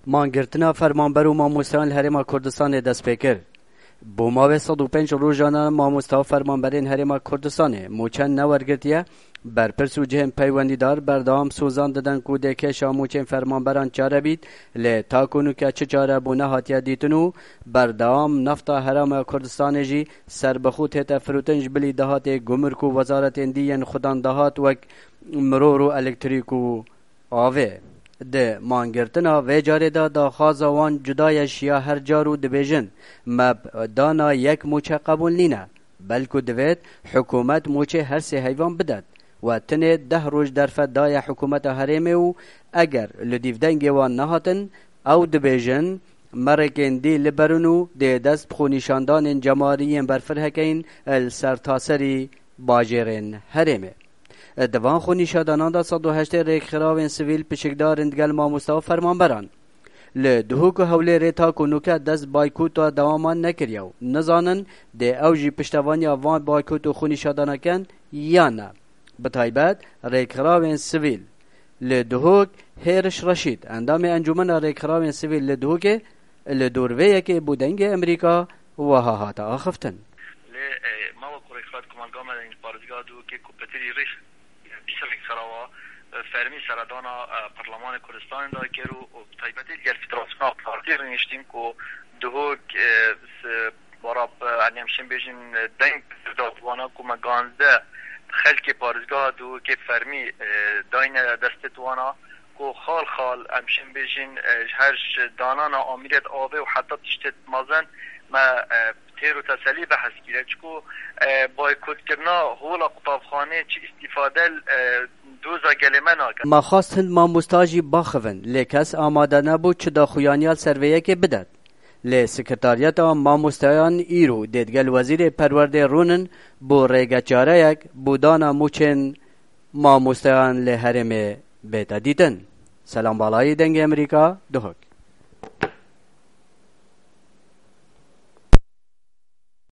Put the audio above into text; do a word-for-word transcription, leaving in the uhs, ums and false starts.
Mangirtina fermanber û mamosteyan li Herêma Kurdistanê dest pê kir. Bo mavê sed û pênc rojan e mamoste û fermanberên Herêma Kurdistanê mûçe newergirtiye. Berpirs û cihên peywendîdar berdewam sozan didin ku dê kêşa mûçên fermanberan çare bît, lê ta ku nûke çi çarebûne hatiye dîtin û berdewam nefta Herêma Kurdistanê jî serbixwe tête firotin ji bilî dahatê gumruk û wezaretên dî yên xudan dahat wek miror û elektrîk û avê. Di mangirtina vê carê de daxwaza wan cuda ye ji ya her car û dibêjin, me bi dana yek mûçe qebûl nîne, belku divêt hikûmet mûçê her sê heyvan bidet. We tinê deh roj derfet daye hikûmeta herêmê û eger li dîvdengê wan nehatin, ew dibêjin, merrêkên dî li ber in û dê dest bi xwenîşandanên cemarî yên berfirehekeyîn li sertaserî bajêrên herêmê. Di van xwenîşadanan de sed û heştê rêkxirawên sivîl pişikdar in digel mamoste û fermanberan. Li Duhok û Hewlêrê ta ku nûke dest baykota dewaman nekiriye û nizanin dê ew jî piştevaniya van baykot û xwenîşadana ken yan ne. Bi taybet rêkxirawên sivîl li Duhok, Hêriş Reşîd, endamê Encûmena Rêkxirawên Sivîl li Duhokê, li dor vê yekê bo Dengê Amerîka wiha hate axiftin. Lê, e, me wek rêkxirawê komelga me li parêzgeha Duhokê ku pitirî rêx bîst rêkxirawa, e, fermî seredana, e, Perlemanê Kurdistanê de kir û, û bi taybetî digel Federasyona Partî rûniştîn ku Duhok, e, s-, bara, e, em şên bêjin, e, deng da wana ku me ganzdeh xelkê parêzgeha Duhokê fermî, e, dayne destê wana ku xal xal em şên bêjin, e, ji her ji danana amîriyet avê û heta tiştê mezin me, e, têr û teselî behs kire. Çiku, e, baykotkirina hola qutavxanê çi îstîfade, e, doza gelê me nake. Me xwest hin mamosta jî baxivin, lê kes amade nebû çi daxuyaniya li ser vê yekê bidet. Lê Sekretariyeta Mamosteyan îro dê digel Wezîrê Perwerdê rûnin bo rêgeçareyek bo dana mûçên mamosteyan lê herêmê bête dîtin. Selam Balayî, Dengê Amerîka, Duhok.